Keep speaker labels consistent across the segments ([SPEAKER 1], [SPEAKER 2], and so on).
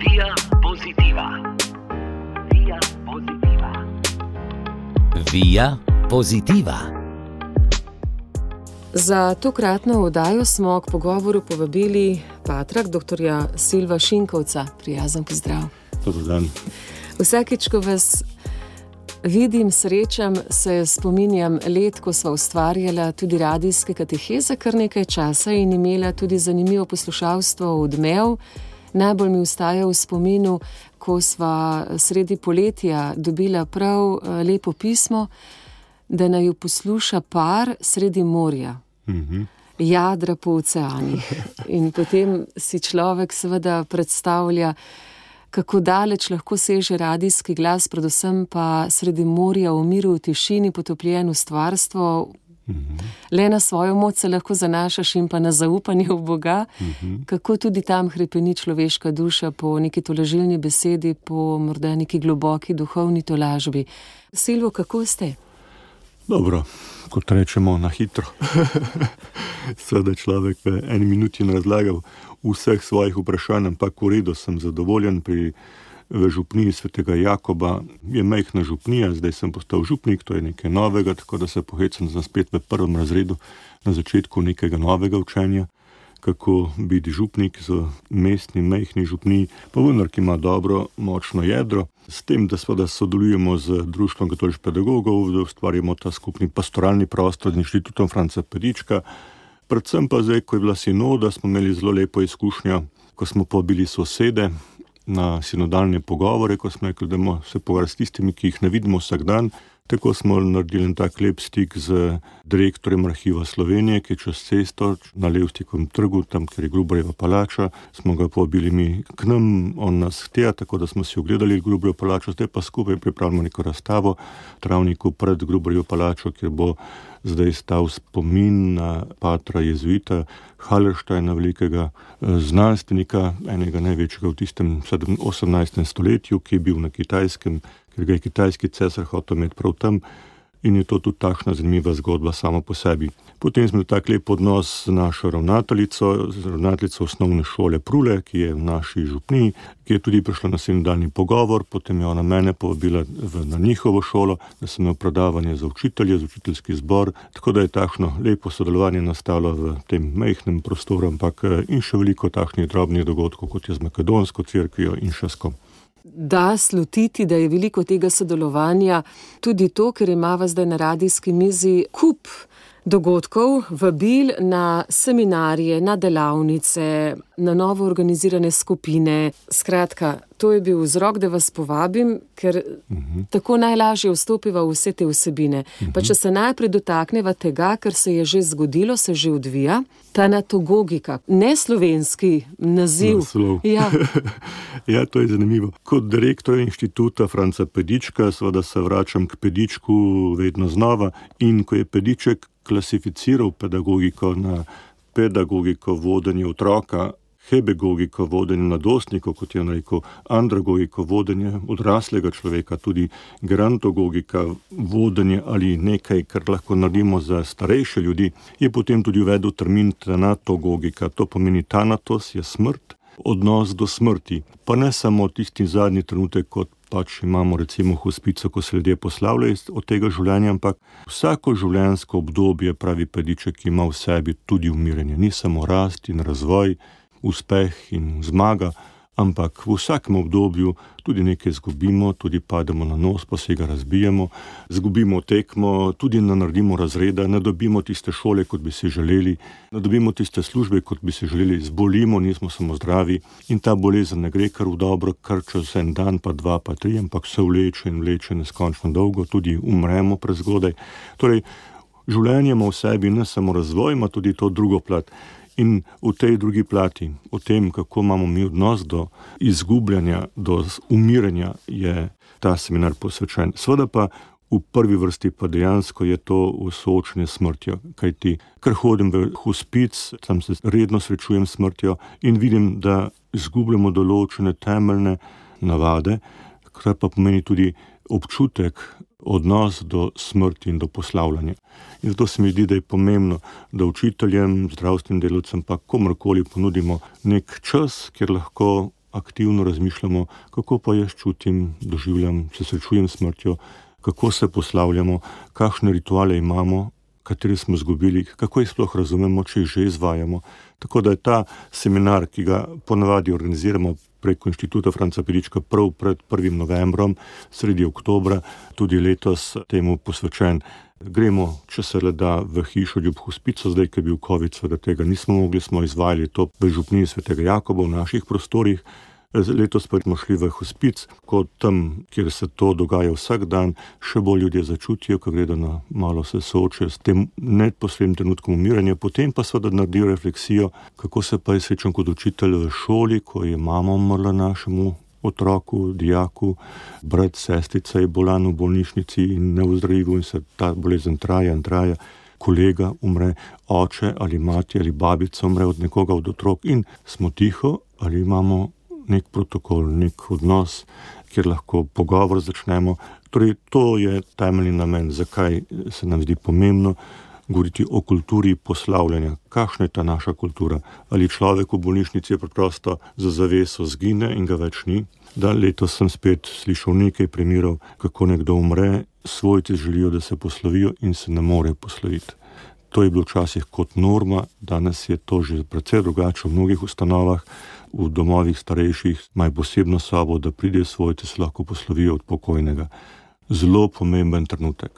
[SPEAKER 1] Via Positiva. Via Positiva.
[SPEAKER 2] Via Positiva.
[SPEAKER 3] Za tokratno oddajo smo k pogovoru povabili patrak dr. Silva Šinkovca. Prijazen pozdrav.
[SPEAKER 4] Dober dan.
[SPEAKER 3] Vsakič, ko vas vidim, srečam, se spominjam let, ko sva ustvarjala tudi radijske kateheze kar nekaj časa in imela tudi zanimivo poslušalstvo Odmev. Najbolj mi ostaja v spominu, ko sva sredi poletja dobila prav lepo pismo, da naju posluša par sredi morja. Jadra po oceanih. In potem si človek seveda predstavlja, kako daleč lahko seže radijski glas, predvsem pa sredi morja v miru, v tišini, potopljen v stvarstvo. Le na svojo moč se lahko zanašaš in pa na zaupanje v Boga, kako tudi tam hrepeni človeška duša po neki tolažilni besedi, po morda neki globoki duhovni tolažbi. Silvo, kako ste?
[SPEAKER 4] Dobro, kot rečemo, na hitro. Seveda človek v eni minuti ne razlagal vseh svojih vprašanj, ampak v redu, sem zadovoljen. V župniji svetega Jakoba je majhna župnija, zdaj sem postal župnik, to je nekaj novega, tako da se pohecam spet v prvem razredu na začetku nekega novega učenja, kako biti župnik z mestni, majhni župniji, pa vendar, ki ima dobro, močno jedro. S tem, da sodelujemo z Društvom katoliških pedagogov, da ustvarjamo ta skupni pastoralni prostor z Inštitutom Franca Pedička. Predvsem pa zdaj, ko je bila sinoda, smo imeli zelo lepo izkušnjo, ko smo povabili sosede na sinodalne pogovore, ko smo rekli, da bomo se pogovarjali s tistimi, ki jih ne vidimo vsak dan. Tako smo naredili en tak lep stik z direktorjem Arhiva Slovenije, ki je čez cesto na Levstikovem trgu, tam, kjer je Gruberjeva palača. Smo ga povabili mi k nam, on nas htja, tako da smo si ogledali Gruberjevo palačo, zdaj pa skupaj pripravljamo neko razstavo v travniku pred Gruberjevo palačo, kjer bo zdaj stal spomin na patra jezuita Hallersteina, velikega znanstvenika, enega največjega v tistem 18. stoletju, ki je bil na Kitajskem, ker ga je kitajski cesar hotel imeti prav tam, in je to tudi takšna zanimiva zgodba sama po sebi. Potem smo tak lep odnos z našo ravnateljico osnovne šole Prule, ki je v naši župniji, ki je tudi prišla na sinodalni pogovor, potem je ona mene povabila na njihovo šolo, da sem imel predavanje za učitelje, za učiteljski zbor, tako da je takšno lepo sodelovanje nastalo v tem majhnem prostoru, ampak in še veliko takšnih drobnih dogodkov, kot je z makedonsko cerkvijo in še s kom.
[SPEAKER 3] Da slutiti, da je veliko tega sodelovanja, tudi to, ker imava zdaj na radijski mizi kup dogodkov, vabil na seminarje, na delavnice, na novo organizirane skupine. Skratka, to je bil vzrok, da vas povabim, ker tako najlažje vstopiva v vse te vsebine. Pa če se najprej dotakneva tega, kar se je že zgodilo, se že odvija, tanatogogika, ne slovenski naziv. Ja.
[SPEAKER 4] Ja, to je zanimivo. Kot direktor Inštituta Franca Pedička, seveda se vračam k Pedičku vedno znova, in ko je Pediček klasificiral pedagogiko na pedagogiko vodenja otroka, hebegogiko vodenja mladostnikov, kot je rekel, andragogiko vodenja odraslega človeka, tudi gerontogogika vodenja ali nekaj, kar lahko naredimo za starejše ljudi, je potem tudi uvedel termin tanatogogika. To pomeni tanatos je smrt, odnos do smrti. Pa ne samo tisti zadnji trenutek, kot pač imamo recimo hospico, ko se ljudje poslavljajo od tega življenja, ampak vsako življenjsko obdobje, pravi Pediček, ima v sebi tudi umiranje. Ni samo rast in razvoj, uspeh in zmaga, ampak v vsakem obdobju tudi nekaj zgubimo, tudi pademo na nos, pa se ga razbijemo, zgubimo tekmo, tudi ne naredimo razreda, ne dobimo tiste šole, kot bi si želeli, ne dobimo tiste službe, kot bi si želeli, zbolimo, nismo samo zdravi in ta bolezen ne gre kar v dobro, kar čez en dan, pa dva, pa tri, ampak se vleče in vleče neskončno dolgo, tudi umremo prezgodaj. Torej, življenje ima v sebi ne samo razvoj, ima tudi to drugo plat. In v tej drugi plati, o tem, kako imamo mi odnos do izgubljanja, do umiranja, je ta seminar posvečen. Seveda pa v prvi vrsti pa dejansko je to soočenje s smrtjo, kajti ker hodim v hospic, tam se redno srečujem s smrtjo in vidim, da izgubljamo določene temeljne navade, kar pa pomeni tudi občutek, odnos do smrti in do poslavljanja. In zato se mi zdi, da je pomembno, da učiteljem, zdravstvenim delavcem pa komorkoli ponudimo nek čas, kjer lahko aktivno razmišljamo, kako pa jaz čutim, doživljam, se srečujem s smrtjo, kako se poslavljamo, kakšne rituale imamo, katere smo izgubili, kako jih sploh razumemo, če jih že izvajamo. Tako da je ta seminar, ki ga ponavadi organiziramo preko Inštituta Franca Pedička prav pred 1. novembrom, sredi oktobra, tudi letos temu posvečen. Gremo, če se le da, v hišo ljub hospico, zdaj, ko je bil COVID, seveda tega nismo mogli, smo izvajali to v župniji Svetega Jakoba v naših prostorih. Letos pa smo šli v hospic, kot tam, kjer se to dogaja vsak dan, še bolj ljudje začutijo, ko gredo na malo se soočajo s tem neposrednim trenutkom umiranja, potem pa seveda naredijo refleksijo, kako se pa je srečen kot učitelj v šoli, ko je mama umrla našemu otroku, dijaku, brat, sestrica je bolan v bolnišnici in neozdravljivo in se ta bolezen traja in traja. Kolega umre, oče ali mati ali babica umre od nekoga od otrok in smo tiho ali imamo nek protokol, nek odnos, kjer lahko pogovor začnemo. Torej, to je temeljni namen, zakaj se nam zdi pomembno govoriti o kulturi poslavljanja. Kakšna je ta naša kultura? Ali človek v bolnišnici je preprosto za zaveso zgine in ga več ni? Da, letos sem spet slišal nekaj primerov, kako nekdo umre, svojci želijo, da se poslovijo in se ne more posloviti. To je bilo včasih kot norma, danes je to že precej drugače v mnogih ustanovah, v domovih starejših imajo posebno sobo, da pridejo svojci, se lahko poslovijo od pokojnega. Zelo pomemben trenutek.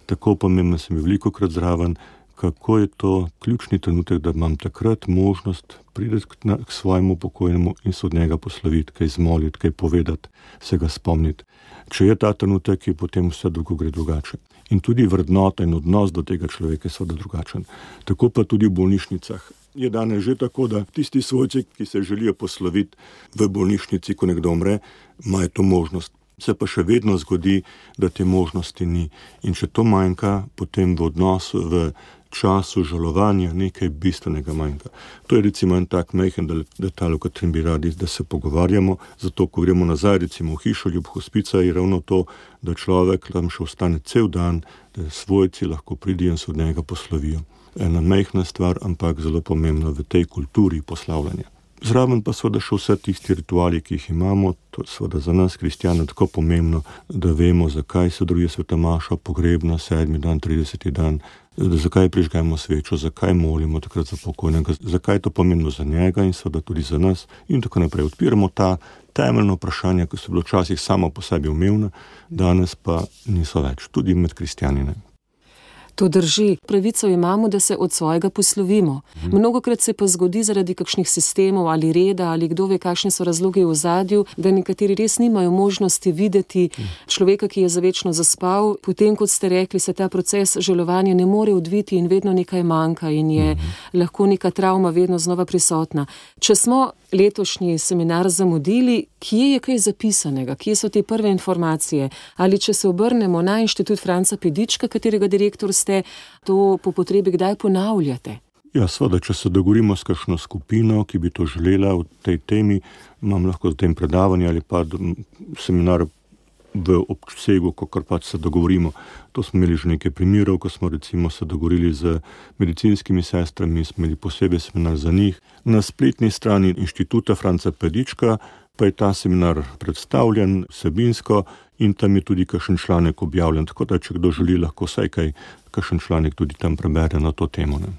[SPEAKER 4] Tako pomemben sem velikokrat zraven, kako je to ključni trenutek, da imam takrat možnost priti k svojemu pokojnemu in se od njega posloviti, kaj zmoliti, kaj povedati, se ga spomniti. Če je ta trenutek, je potem vse drugo gre drugače. In tudi vrednota in odnos do tega človeka je seveda drugačen. Tako pa tudi v bolnišnicah. Je danes že tako, da tisti svojci, ki se želijo posloviti v bolnišnici, ko nekdo umre, imajo to možnost. Se pa še vedno zgodi, da te možnosti ni. In če to manjka, potem v odnosu, v času žalovanja nekaj bistvenega manjka. To je recimo en tak majhen detalj, o katerem bi radi, da se pogovarjamo. Zato, ko gremo nazaj recimo v hišo ljub hospica, je ravno to, da človek tam še ostane cel dan, da svojci lahko pridijo in se od njega poslovijo. Ena majhna stvar, ampak zelo pomembna v tej kulturi poslavljanja. Zraven pa seveda še vse tisti rituali, ki jih imamo, to je seveda za nas, kristjane, tako pomembno, da vemo, zakaj se drugje sveta maša, pogrebna, 7. dan, 30. dan, zakaj prižgajmo svečo, zakaj molimo takrat za pokojnega, zakaj je to pomembno za njega in seveda tudi za nas in tako naprej. Odpiramo ta temeljna vprašanja, ki so bilo včasih samo po sebi umevna, danes pa niso več, tudi med kristjanine.
[SPEAKER 3] To drži. Pravico imamo, da se od svojega poslovimo. Mnogokrat se pa zgodi zaradi kakšnih sistemov ali reda ali kdo ve, kakšni so razlogi v ozadju, da nekateri res nimajo možnosti videti človeka, ki je zavečno zaspal. Potem, kot ste rekli, se ta proces žalovanja ne more odviti in vedno nekaj manjka in je lahko neka travma vedno znova prisotna. Če smo letošnji seminar zamudili, kje je kaj zapisanega, kje so te prve informacije? Ali če se obrnemo na Inštitut Franca Pedička, katerega direktor ste, to po potrebi kdaj ponavljate?
[SPEAKER 4] Ja, seveda, če se dogovorimo s kakšno skupino, ki bi to želela v tej temi, imam lahko z tem predavanje ali pa seminar v obsegu, kakor pač se dogovorimo. To smo imeli že nekaj primerov, ko smo recimo se dogovorili z medicinskimi sestrami, smo imeli posebej seminar za njih. Na spletni strani Inštituta Franca Pedička pa je ta seminar predstavljen vsebinsko in tam je tudi kakšen članek objavljen, tako da če kdo želi, lahko vsaj kakšen članek tudi tam prebere na to temo. Ne?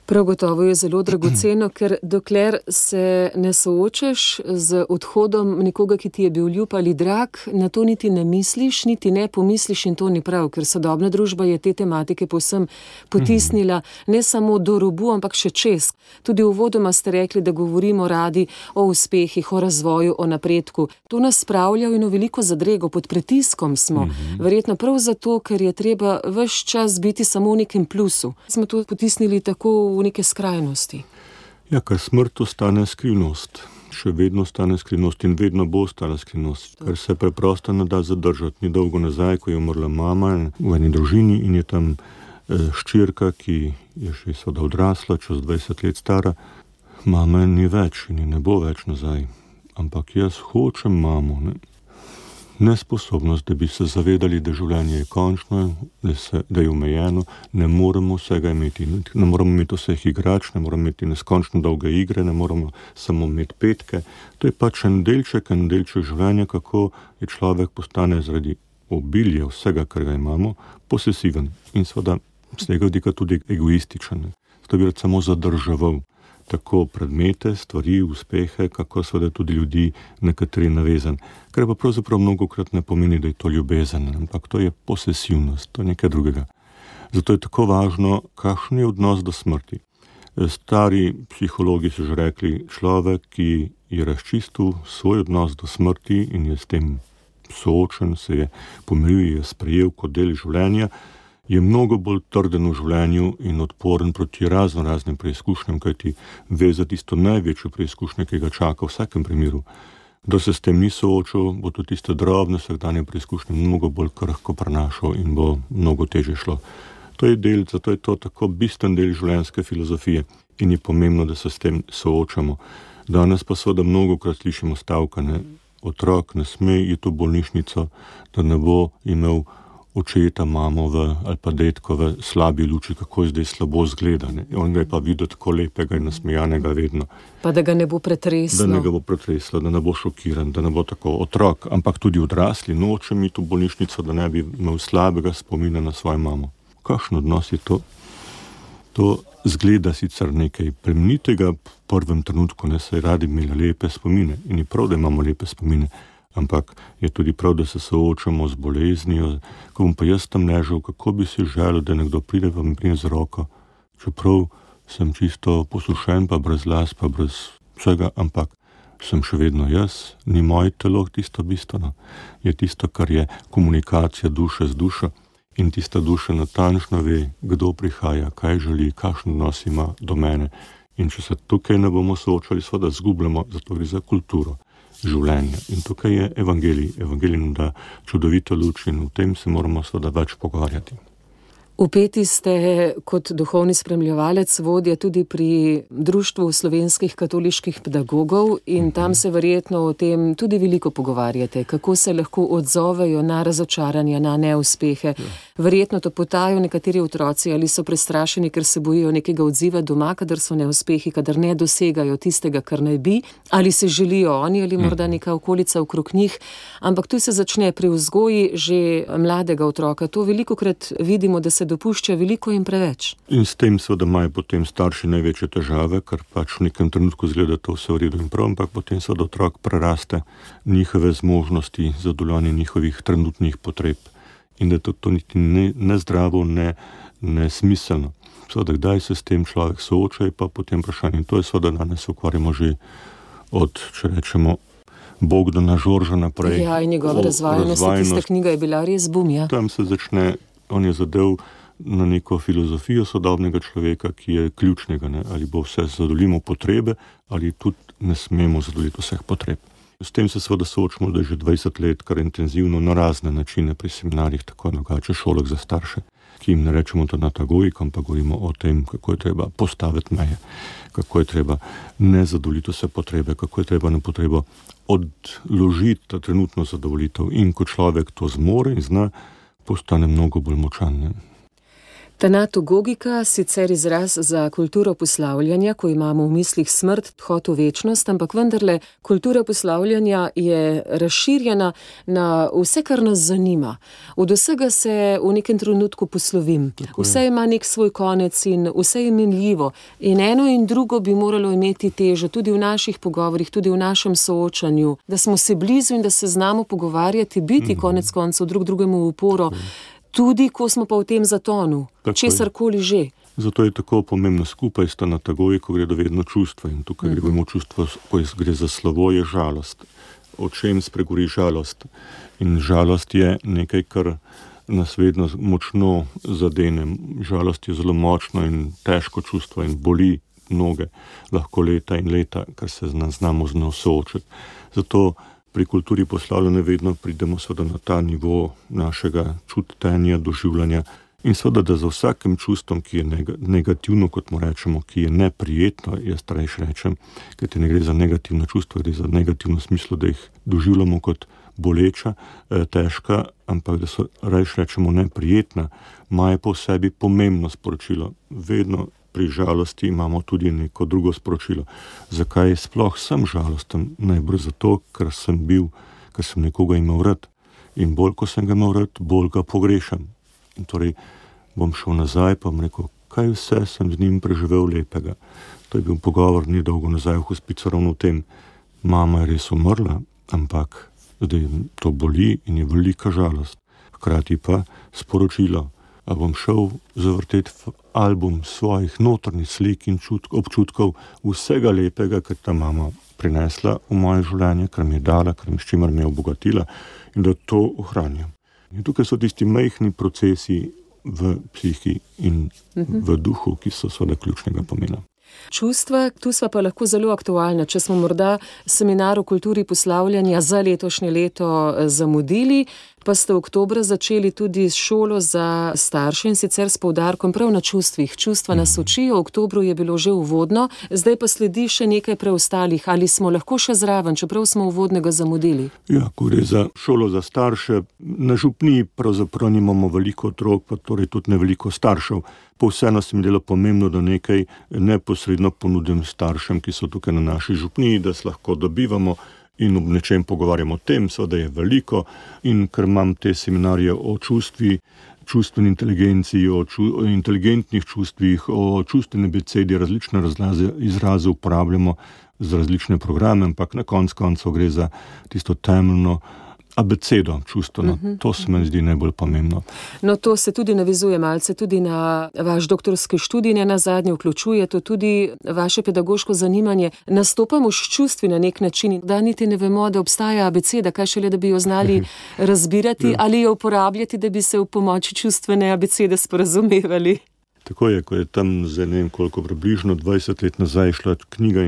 [SPEAKER 3] Prav gotovo je zelo dragoceno, ker dokler se ne soočaš z odhodom nekoga, ki ti je bil ljub ali drag, na to niti ne misliš, niti ne pomisliš in to ni prav, ker sodobna družba je te tematike povsem potisnila ne samo do robu, ampak še čez. Tudi uvodoma ste rekli, da govorimo radi o uspehih, o razvoju, o napredku. To nas spravlja v eno veliko zadrego, pod pritiskom smo. Verjetno prav zato, ker je treba ves čas biti samo v nekem plusu. Smo to potisnili tako v neke skrajnosti.
[SPEAKER 4] Ja, ker smrt ostane skrivnost. Še vedno ostane skrivnost in vedno bo ostala skrivnost. Ker se preprosto ne da zadržati. Ni dolgo nazaj, ko je umrla mama v eni družini in je tam hčerka, ki je še seveda odrasla, čez 20 let stara. Mama ni več in ne bo več nazaj. Ampak jaz hočem mamo. Ne? nesposobnost, da bi se zavedali, da življenje je končno, da je omejeno, ne moremo vsega imeti. Ne moremo imeti vseh igrač, ne moremo imeti neskončno dolge igre, ne moremo samo imeti petke. To je pač en delček življenja, kako je človek postane zaradi obilja vsega, kar ga imamo, posesiven in seveda z tega vidika tudi egoističen. Zato bi rad samo zadrževal tako predmete, stvari, uspehe, kako seveda tudi ljudi nekateri navezan. Kar pa pravzaprav mnogokrat ne pomeni, da je to ljubezen, ampak to je posesivnost, to je nekaj drugega. Zato je tako važno, kakšen je odnos do smrti. Stari psihologi so že rekli, človek, ki je razčistil svoj odnos do smrti in je s tem soočen, se je pomiril, je sprejel kot del življenja, je mnogo bolj trden v življenju in odporen proti raznim preizkušnjam, kajti ve za tisto največjo preizkušnjo, ki ga čaka v vsakem primeru. Da se s tem ni soočil, bo tudi tiste drobne vsakdanje preizkušnje mnogo bolj krhko prenašal in bo mnogo težje šlo. To je del, zato je to tako bistven del življenjske filozofije in je pomembno, da se s tem soočamo. Danes pa seveda mnogokrat slišimo stavkane, otrok ne sme iti v bolnišnico, da ne bo imel očeta, mamo ali pa detko v slabi luči, kako je zdaj slabo zgleda. On ga je pa videl tako lepega in nasmejanega vedno.
[SPEAKER 3] Pa da ga ne bo pretreslo.
[SPEAKER 4] Da ne ga bo pretreslo, da ne bo šokiran, da ne bo tako otrok, ampak tudi odrasli noče iti v bolnišnico, da ne bi imel slabega spomina na svojo mamo. Kakšen odnos je to? To zgleda sicer nekaj plemenitega v prvem trenutku, ne, saj radi imeli lepe spomine in je prav, da imamo lepe spomine, ampak je tudi prav, da se soočamo z boleznijo. Ko bom pa jaz tam ležal, kako bi si želel, da nekdo pride pa mi prije z roko, čeprav sem čisto posušen, pa brez las, pa brez vsega, ampak sem še vedno jaz, ni moje telo tisto bistveno, je tisto, kar je komunikacija duše z dušo. In tista duša natančno ve, kdo prihaja, kaj želi, kakšen odnos ima do mene. In če se tukaj ne bomo soočali, seveda zgubljamo, zato gre za kulturo življenja. In tukaj je evangelij. Evangelij nam da čudovito luč in v tem se moramo seveda več pogovarjati.
[SPEAKER 3] Vpeti ste kot duhovni spremljevalec, vodja tudi pri Društvu slovenskih katoliških pedagogov in tam se verjetno o tem tudi veliko pogovarjate, kako se lahko odzovejo na razočaranja, na neuspehe. Verjetno to potajo nekateri otroci ali so prestrašeni, ker se bojijo nekega odziva doma, kadar so neuspehi, kadar ne dosegajo tistega, kar naj bi, ali se želijo oni ali morda neka okolica okrog njih, ampak tu se začne pri vzgoji že mladega otroka. To velikokrat vidimo, da se dopušča veliko in preveč. In
[SPEAKER 4] s tem seveda imajo potem starši največje težave, ker pač v nekem trenutku zgleda to vse v redu in prav, ampak potem seveda otrok preraste njihove zmožnosti, zadovoljanje njihovih trenutnih potreb in da to niti ne zdravo, ne smiselno. Seveda, kdaj se s tem človek sooča, je pa potem vprašanje. In to je seveda danes se ukvarjamo že od, če rečemo, Bogdana Žorža naprej.
[SPEAKER 3] Ja, in njegova razvajenost, tista knjiga je bila res bum, ja.
[SPEAKER 4] Tam se začne, on je zadev na neko filozofijo sodobnega človeka, ki je ključnega, ne? Ali bo vse zadovoljimo potrebe, ali tudi ne smemo zadovoljiti vseh potreb. S tem se seveda soočamo, da je že 20 let kar intenzivno na razne načine pri seminarjih, tako drugače šolah za starše, ki jim ne rečemo to natagojik, ampak govorimo o tem, kako je treba postaviti meje, kako je treba ne zadovoljiti vse potrebe, kako je treba na potrebo odložiti ta trenutno zadovoljitev. In ko človek to zmore in zna, postane mnogo bolj močan. Ne?
[SPEAKER 3] Tanatogogika, sicer izraz za kulturo poslavljanja, ko imamo v mislih smrt, odhod v večnost, ampak vendarle kultura poslavljanja je razširjena na vse, kar nas zanima. Od vsega se v nekem trenutku poslovim. Vse ima nek svoj konec in vse je minljivo. In eno in drugo bi moralo imeti težo tudi v naših pogovorih, tudi v našem soočanju, da smo se blizu in da se znamo pogovarjati, biti konec koncev drug drugemu v uporo. Tudi, ko smo pa v tem zatonu, česarkoli že.
[SPEAKER 4] Zato je tako pomembno skupaj s tanatogojiko gre do vedno čustva in tukaj gremo čustvo, ko gre za slovo, je žalost. O čem spregovori žalost? In žalost je nekaj, kar nas vedno močno zadene. Žalost je zelo močno in težko čustvo in boli noge, lahko leta in leta, kar se znamo z njo soočiti. Zato pri kulturi poslavljanja vedno pridemo seveda na ta nivo našega čutenja, doživljanja in seveda, da za vsakim čustvom, ki je negativno, kot mu rečemo, ki je neprijetno, jaz rečem, ker te ne gre za negativno čustvo, gre za negativno smislu, da jih doživljamo kot boleča, težka, ampak da so rajš rečemo neprijetna, imajo po sebi pomembno sporočilo. Vedno pri žalosti imamo tudi neko drugo sporočilo. Zakaj sploh sem žalosten? Najbrž zato, ker sem nekoga imel rad. In bolj, ko sem ga imel rad, bolj ga pogrešam. In torej bom šel nazaj, pa bom rekel, kaj vse sem z njim preživel lepega. To je bil pogovor ni dolgo nazaj v hospicu ravno v tem. Mama je res umrla, ampak zdaj to boli in je velika žalost. Hkrati pa sporočilo, a bom šel zavrteti v album svojih notranjih slik in občutkov vsega lepega, kar ta mama prinesla v moje življenje, kar mi je dala, s čimer me je obogatila in da to ohranjam. In tukaj so tisti majhni procesi v psihi in v duhu, ki so seveda ključnega pomena.
[SPEAKER 3] Čustva, tu sva pa lahko zelo aktualna. Če smo morda seminar o kulturi poslavljanja za letošnje leto zamudili, pa ste oktobra začeli tudi s šolo za starše in sicer s poudarkom prav na čustvih. Čustva nas učijo, v oktobru je bilo že uvodno, zdaj pa sledi še nekaj preostalih. Ali smo lahko še zraven, čeprav smo uvodnega zamudili?
[SPEAKER 4] Ja, ko gre za šolo za starše, na župniji pravzaprav nimamo veliko otrok, pa torej tudi ne veliko staršev. Pa vseeno se mi delo pomembno, da nekaj neposredno ponudim staršem, ki so tukaj na naši župniji, da se lahko dobivamo in ob nečem pogovarjamo o tem, seveda je veliko, in ker imam te seminarje o čustvi, čustveni inteligenciji, o inteligentnih čustvih, o čustveni abecedi, različne izraze uporabljamo za različne programe, ampak na koncu gre za tisto temeljno abecedo čustveno. To se mi zdi najbolj pomembno.
[SPEAKER 3] No, to se tudi navezuje malce tudi na vaš doktorski študij, ne nazadnje vključuje to tudi vaše pedagoško zanimanje. Nastopamo s čustvi na nek način, da niti ne vemo, da obstaja abeceda, kaj šele, da bi jo znali razbirati ali jo uporabljati, da bi se v pomoči čustvene abecede sporazumevali.
[SPEAKER 4] Tako je, ko je tam za ne vem koliko približno 20 let nazaj šla knjiga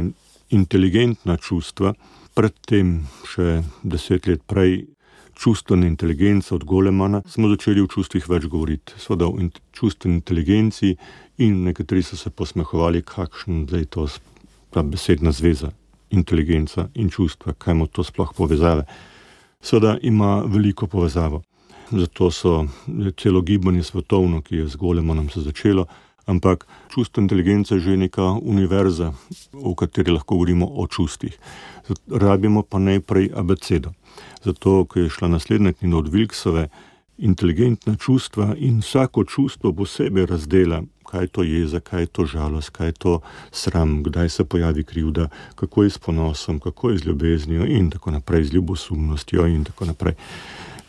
[SPEAKER 4] Inteligentna čustva, predtem še 10 let prej Čustvena inteligenca od Golemana, smo začeli v čustvih več govoriti. Seveda o čustveni inteligenci in nekateri so se posmehovali, kakšen zdaj to ta besedna zveza, inteligenca in čustva, kaj ima to sploh povezave. Seveda ima veliko povezavo. Zato so celo gibanje svetovno, ki je z Golemanom se začelo, ampak čustvena inteligenca je že neka univerza, v kateri lahko govorimo o čustvih. Rabimo pa najprej abecedo. Zato, ko je šla naslednja knjiga od Wilksove, inteligentna čustva in vsako čustvo posebej razdela, kaj je to jeza, kaj je to žalost, kaj je to sram, kdaj se pojavi krivda, kako je s ponosom, kako je z ljubeznijo in tako naprej, z ljubosumnostjo in tako naprej.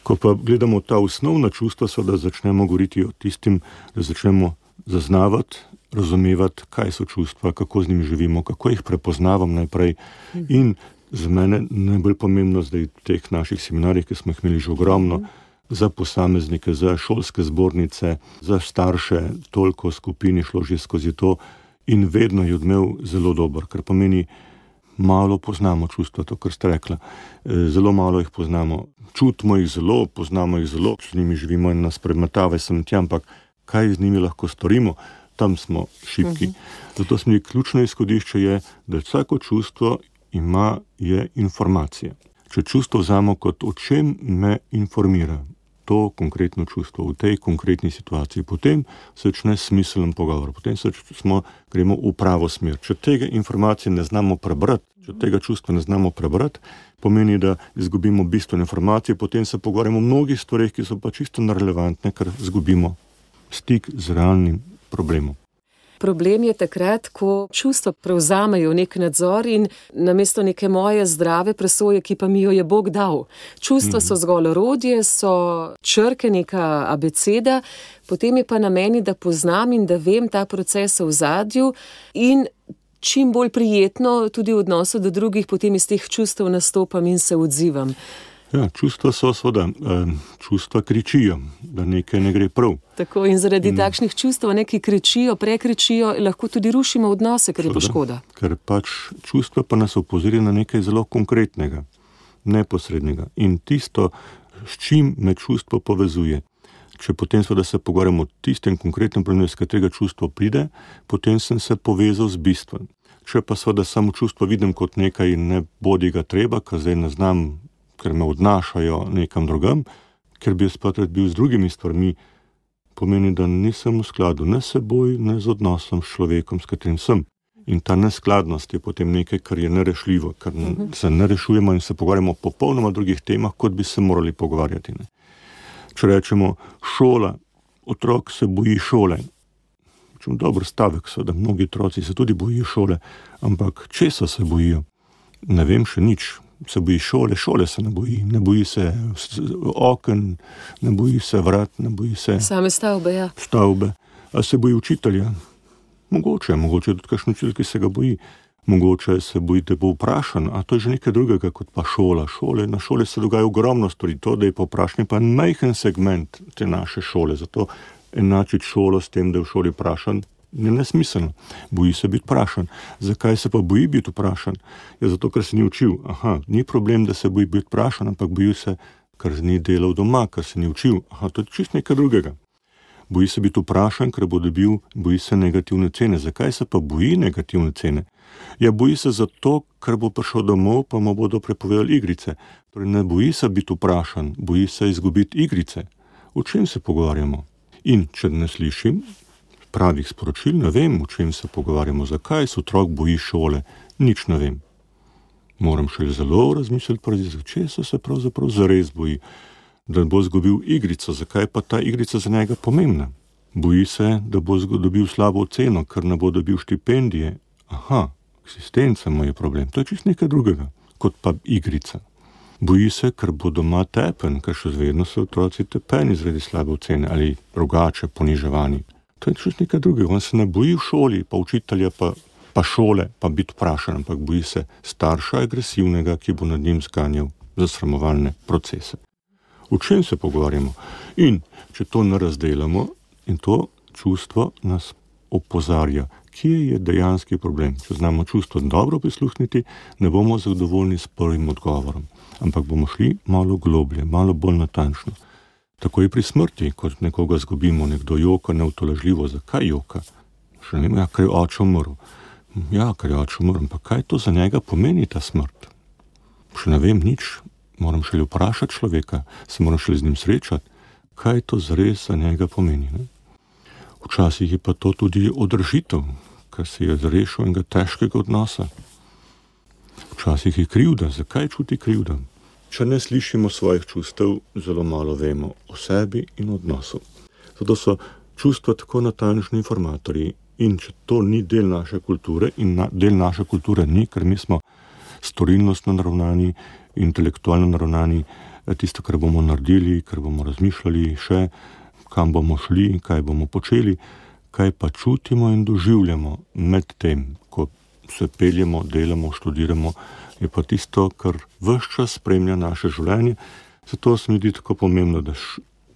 [SPEAKER 4] Ko pa gledamo ta osnovna čustva, da začnemo govoriti o tistim, da začnemo zaznavati, razumevati, kaj so čustva, kako z njimi živimo, kako jih prepoznavam najprej. In za mene najbolj pomembno zdaj v teh naših seminarjih, ki smo jih imeli že ogromno, za posameznike, za šolske zbornice, za starše, toliko skupin je šlo že skozi to in vedno je odmev zelo dober, ker pomeni, malo poznamo čustva, to, kar ste rekla. Zelo malo jih poznamo. Čutimo jih zelo, poznamo jih zelo, z njimi živimo in nas premetava sem tja, ampak kaj z njimi lahko storimo, tam smo šibki. Zato smo ključno izhodišče je, da vsako čustvo je informacija. Če čustvo vzamo kot o čem me informira, to konkretno čustvo v tej konkretni situaciji, potem se začne smiseln pogovor, potem gremo v pravo smer. Če tega informacije ne znamo prebrati, če tega čustva ne znamo prebrati, pomeni, da izgubimo bistvene informacije, potem se pogovarjamo o mnogih stvareh, ki so pa čisto nerelevantne, ker izgubimo stik z realnim problemom.
[SPEAKER 3] Problem je takrat, ko čustva prevzamejo nek nadzor in namesto neke moje zdrave presoje, ki pa mi jo je Bog dal. Čustva so zgolj orodje, so črke, neka abeceda, potem je pa na meni, da poznam in da vem ta proces v ozadju in čim bolj prijetno tudi v odnosu do drugih, potem iz teh čustev nastopam in se odzivam.
[SPEAKER 4] Ja, čustva so seveda, čustva kričijo, da nekaj ne gre prav.
[SPEAKER 3] Tako in zaradi takšnih čustev, ki kričijo, prekričijo, lahko tudi rušimo odnose, ker je to škoda.
[SPEAKER 4] Ker pač čustva pa nas opozori na nekaj zelo konkretnega, neposrednega. In tisto, s čim me čustvo povezuje. Če potem seveda se pogovarjamo o tistem konkretnem problemu, iz katerega čustvo pride, potem sem se povezal z bistvom. Če pa seveda samo čustvo vidim kot nekaj in ne bodi ga treba, ker zdaj ne znam, ker me odnašajo nekam drugam, ker bi jaz pa rad bil z drugimi stvarmi, pomeni, da nisem v skladu ne s seboj, ne z odnosom s človekom, s katerim sem. In ta neskladnost je potem nekaj, kar je nerešljivo, ker se ne rešujemo in se pogovarjamo o popolnoma drugih temah, kot bi se morali pogovarjati. Ne. Če rečemo šola, otrok se boji šole. Dober stavek so, da mnogi otroci se tudi bojijo šole, ampak česa se bojijo? Ne vem še nič. Se boji šole se ne boji se oken, ne boji se vrat, ne boji se...
[SPEAKER 3] Same stavbe, ja.
[SPEAKER 4] Stavbe. A se boji učitelja? Mogoče tudi kakšen učitelj, ki se ga boji. Mogoče se boji, da bo vprašan, a to je že nekaj drugega kot pa šola. Na šoli se dogaja ogromno stvari, to, da je povprašanje pa majhen segment te naše šole, zato enačiti šolo s tem, da je v šoli vprašan, je nesmiselno. Boji se biti vprašan. Zakaj se pa boji biti vprašan? Je zato, ker se ni učil. Ni problem, da se boji biti vprašan, ampak boji se, ker ni delal doma, ker se ni učil. To je čist nekaj drugega. Boji se biti vprašan, ker bo dobil, boji se negativne cene. Zakaj se pa boji negativne cene? Ja, boji se zato, ker bo prišel domov, pa mu bodo prepovedali igrice. Torej ne boji se biti vprašan, boji se izgubiti igrice. O čem se pogovarjamo? In če ne slišim pravih sporočil, ne vem, o čem se pogovarjamo, zakaj se otrok boji šole, nič ne vem. Moram še zelo razmisliti, česa se pravzaprav zares boji, da bo izgubil igrico, zakaj pa ta igrica za njega pomembna. Boji se, da bo dobil slabo oceno, ker ne bo dobil štipendije. Eksistenca mu je problem, to je čisto nekaj drugega, kot pa igrica. Boji se, ker bo doma tepen, ker še vedno so otroci tepeni zaradi slabe ocene ali drugače poniževani. To je čisto nekaj drugega. On se ne boji v šoli, pa učitelja, pa šole, pa biti vprašan, ampak boji se starša agresivnega, ki bo nad njim zganjal zasramovalne procese. O čem se pogovarjamo? In če to ne razdelamo, in to čustvo nas opozarja, kje je dejanski problem. Če znamo čustvo dobro prisluhniti, ne bomo zadovoljni s prvim odgovorom, ampak bomo šli malo globlje, malo bolj natančno. Tako je pri smrti, kot nekoga zgubimo, nekdo joka neutolažljivo. Zakaj joka? Še ne vem, ker je oče umrl. Ker je oče umrl, ampak kaj to za njega pomeni ta smrt? Še ne vem nič, moram šele vprašati človeka, se moram šele z njim srečati, kaj to zares za njega pomeni. Ne? Včasih je pa to tudi održitev, ker se je zrešil enega težkega odnosa. Včasih je krivda. Zakaj čuti krivda? Če ne slišimo svojih čustev, zelo malo vemo o sebi in odnosu. Zato so čustva tako natančni informatorji in če to ni del naše kulture in del naše kulture ni, ker mi smo storilnostno naravnani, intelektualno naravnani, tisto, kar bomo naredili, kar bomo razmišljali še, kam bomo šli, kaj bomo počeli, kaj pa čutimo in doživljamo med tem, ko se peljemo, delamo, študiramo, je pa tisto, kar ves čas spremlja naše življenje. Zato se mi zdi tako pomembno, da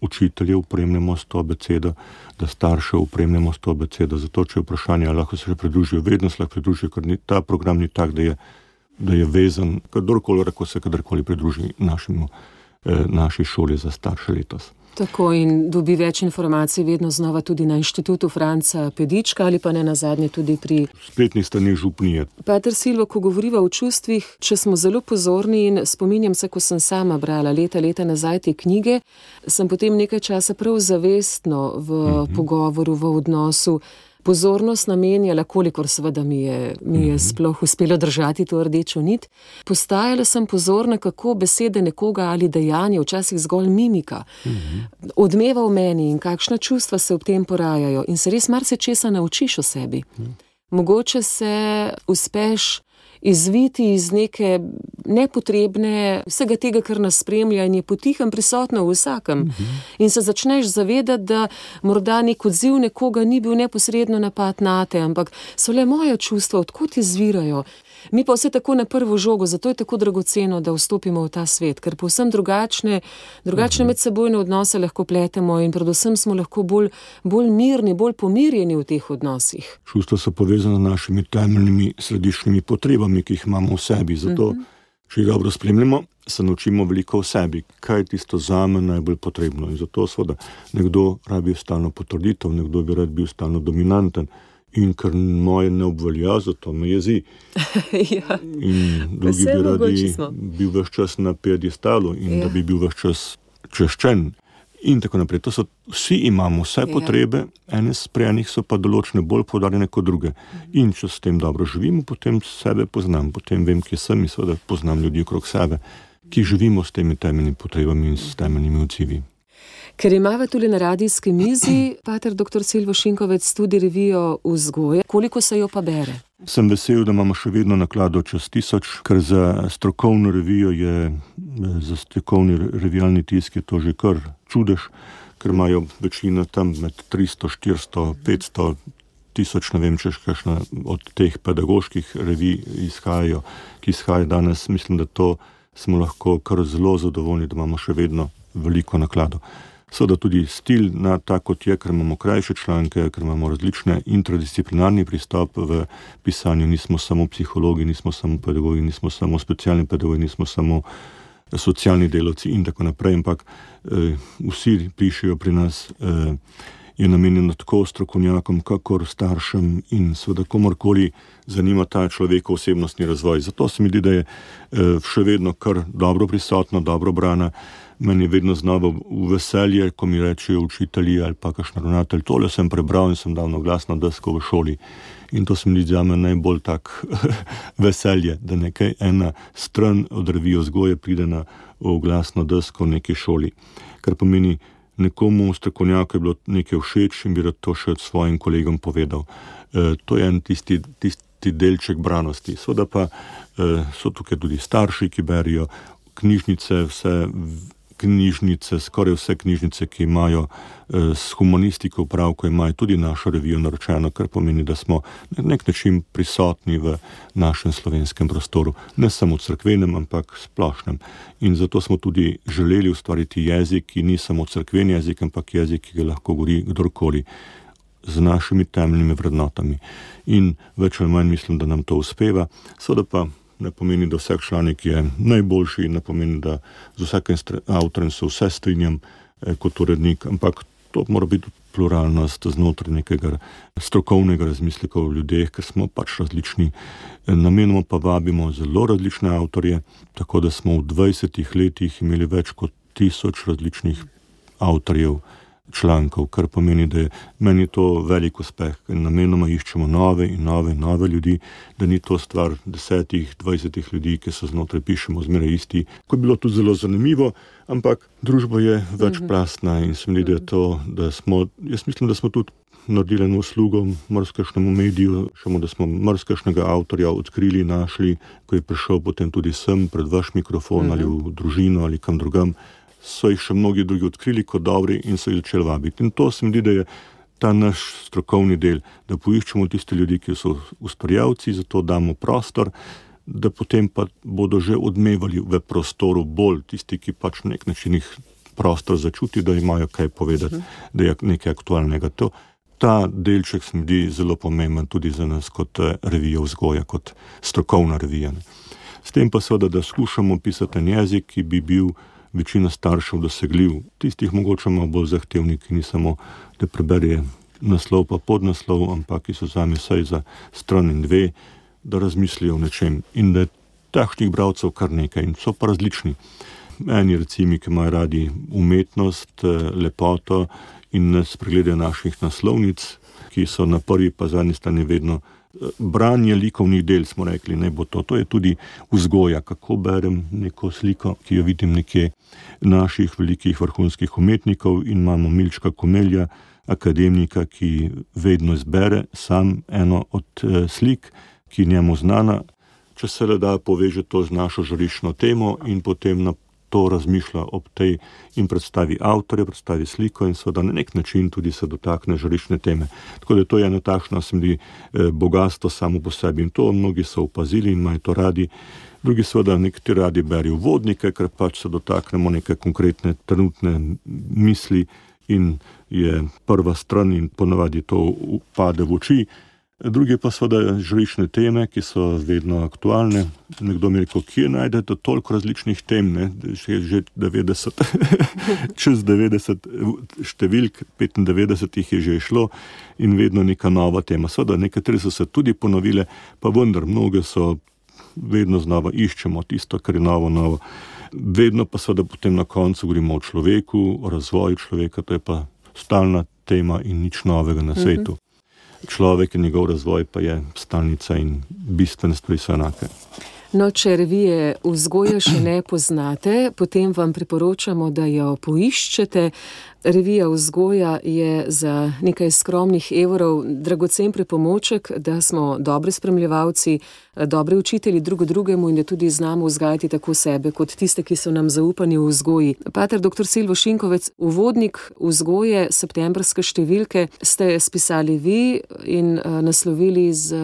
[SPEAKER 4] učitelje opremljamo s to abecedo, da starše opremljamo s to abecedo. Zato, če je vprašanje, lahko se še pridružijo, vedno se lahko pridružijo, ker ta program ni tak, da je vezan, kdorkoli lahko se kadarkoli pridruži naši šoli za starše letos.
[SPEAKER 3] Tako, in dobi več informacij vedno znova tudi na Inštitutu Franca Pedička ali pa ne nazadnje tudi pri
[SPEAKER 4] spletnih straneh župnije.
[SPEAKER 3] Pater Silvo, ko govoriva o čustvih, če smo zelo pozorni, in spominjam se, ko sem sama brala leta nazaj te knjige, sem potem nekaj časa prav zavestno v pogovoru, v odnosu pozornost namenjala, kolikor seveda mi je sploh uspelo držati to rdečo nit. Postajala sem pozorna, kako besede nekoga ali dejanje, včasih zgolj mimika, odmeva v meni in kakšna čustva se ob tem porajajo. In se res marsičesa naučiš o sebi. Mogoče se uspeš izviti iz neke nepotrebne, vsega tega, kar nas spremlja in je potihem prisotno v vsakem. In se začneš zavedati, da morda nek odziv nekoga ni bil neposredno napad nate, ampak so le moja čustva, odkot izvirajo. Mi pa vse tako na prvo žogo, zato je tako dragoceno, da vstopimo v ta svet, ker povsem drugačne medsebojne odnose lahko pletemo in predvsem smo lahko bolj mirni, bolj pomirjeni v teh odnosih.
[SPEAKER 4] Čustva so povezane z našimi temeljnimi središčnimi potrebami, ki jih imamo v sebi. Zato, če jih dobro spremljamo, se naučimo veliko o sebi, kaj je tisto zame najbolj potrebno. In zato seveda nekdo rabi stalno potrditev, nekdo bi rad bil stalno dominanten. In ker moje ne obvelja, zato me jezi.
[SPEAKER 3] Ja.
[SPEAKER 4] In drugi
[SPEAKER 3] Vse
[SPEAKER 4] bi radi
[SPEAKER 3] mogoče smo.
[SPEAKER 4] bil ves čas na piedestalu in da bi bil ves čas češčen. In tako naprej. To so, vsi imamo vse potrebe, ene sprejenih so pa določene bolj poudarjene kot druge. In če s tem dobro živimo, potem sebe poznam, potem vem, kje sem in seveda poznam ljudi okrog sebe, ki živimo s temi temeljnimi potrebami in s temeljnimi odzivi.
[SPEAKER 3] Ker imava tudi na radijski mizi, pater dr. Silvo Šinkovec, tudi revijo Vzgoja. Koliko se jo pa bere?
[SPEAKER 4] Sem vesel, da imamo še vedno naklado čez 1000, ker za strokovno revijo za strokovni revijalni tisk je to že kar čudež, ker imajo večina tam med 300, 400, 500, 1000, ne vem, če kakšna od teh pedagoških revij izhajajo, ki izhajajo danes. Mislim, da to smo lahko kar zelo zadovoljni, da imamo še vedno veliko naklado. Seveda tudi stil na tak, kot je, ker imamo krajše članke, ker imamo različne interdisciplinarni pristop v pisanju. Nismo samo psihologi, nismo samo pedagogi, nismo samo specialni pedagogi, nismo samo socialni delavci in tako naprej, ampak vsi pišejo pri nas, je namenjeno tako strokovnjakom, kakor staršem in seveda komorkoli zanima ta človekov osebnostni razvoj. Zato se mi zdi, da je še vedno kar dobro prisotno, dobro brana. Meni je vedno znova v veselje, ko mi rečejo učitelji ali pa kakšen ravnatelj, tole sem prebral in sem dal na glasno desko v šoli. In to se mi zdi zame najbolj tak veselje, da nekaj ena stran od revije Vzgoje pride na oglasno desko v neki šoli. Kar pomeni, nekomu strokovnjaku je bilo nekaj všeč in bi rad to še svojim kolegom povedal. To je en tisti delček branosti. Seveda pa so tukaj tudi starši, ki berijo knjižnice, skoraj vse knjižnice, ki imajo s humanistiko opravko, imajo tudi našo revijo naročeno, kar pomeni, da smo na nek način prisotni v našem slovenskem prostoru. Ne samo cerkvenem, ampak splošnem. In zato smo tudi želeli ustvariti jezik, ki ni samo cerkven jezik, ampak jezik, ki ga lahko govori kdorkoli z našimi temeljnimi vrednotami. In več ali manj mislim, da nam to uspeva. Seveda pa ne pomeni, da vsak članek je najboljši, ne pomeni, da z vsakim avtorjem se vse strinjam kot urednik, ampak to mora biti pluralnost znotraj nekega strokovnega razmisleka o ljudeh, ker smo pač različni. Namenoma pa vabimo zelo različne avtorje, tako da smo v 20 letih imeli več kot 1000 različnih avtorjev člankov, kar pomeni, da je meni to velik uspeh, ker namenoma iščemo nove in nove ljudi, da ni to stvar 10, 20 ljudi, ki so znotraj pišemo zmeraj isti. Ko je bilo tudi zelo zanimivo, ampak družba je večplastna in se mi zdi, jaz mislim, da smo tudi naredili eno uslugo marsikšnemu mediju, da smo marsikšnega avtorja odkrili, našli, ko je prišel potem tudi sem pred vaš mikrofon ali v družino ali kam drugam. So jih še mnogi drugi odkrili kot dobri in so jih začeli vabiti. In to se mi zdi, da je ta naš strokovni del, da poiščemo tiste ljudi, ki so ustvarjalci, zato damo prostor, da potem pa bodo že odmevali v prostoru bolj tisti, ki pač na nek način jih prostor začuti, da imajo kaj povedati, da je nekaj aktualnega. Ta delček se mi zdi zelo pomemben tudi za nas kot revija Vzgoja, kot strokovna revija. S tem pa seveda, da skušamo pisati en jezik, ki bi bil večina staršev dosegljiv. Tistih mogoče malo bolj zahtevni, ki ni samo, da preberje naslov pa podnaslov, ampak ki so zame vsaj za stran in dve, da razmislijo o nečem. In da je takšnih bralcev kar nekaj in so pa različni. Eni recimo, ki imajo radi umetnost, lepoto in nas pregledajo naših naslovnic, ki so na prvi pa zadnji strani vedno branje likovnih del, smo rekli, ne bo to. To je tudi vzgoja, kako berem neko sliko, ki jo vidim nekje naših velikih vrhunskih umetnikov in imamo Milčka Komelja, akademika, ki vedno izbere sam eno od slik, ki je njemu znana, če se le da poveže to z našo žariščno temo in potem na to razmišlja ob tej in predstavi avtorja, predstavi sliko in seveda na nek način tudi se dotakne žariščne teme. Tako da to je eno takšno, se mi zdi, bogatstvo samo po sebi in to mnogi so opazili in imajo to radi. Drugi seveda nekateri radi berijo uvodnike, ker pač se dotaknemo neke konkretne trenutne misli in je prva stran in ponavadi to pade v oči. Drugi pa seveda žarične teme, ki so vedno aktualne. Nekdo mi je rekel, kje najdete toliko različnih tem, ne? Že 90, čez 90 številk, 95 jih je že šlo in vedno neka nova tema. Seveda nekatere so se tudi ponovile, pa vendar mnoge so vedno znova iščemo tisto, kar je novo. Vedno pa seveda potem na koncu govorimo o človeku, o razvoju človeka, to je pa stalna tema in nič novega na svetu. Človek in njegov razvoj pa je stalnica in bistvene stvari so enake.
[SPEAKER 3] No, če revije Vzgoja še ne poznate, potem vam priporočamo, da jo poiščete. Revija Vzgoja je za nekaj skromnih evrov dragocen pripomoček, da smo dobri spremljevalci, dobri učitelji drugemu in da tudi znamo vzgajati tako sebe kot tiste, ki so nam zaupani v vzgoji. Pater dr. Silvo Šinkovec, uvodnik vzgoje septembrske številke ste spisali vi in naslovili z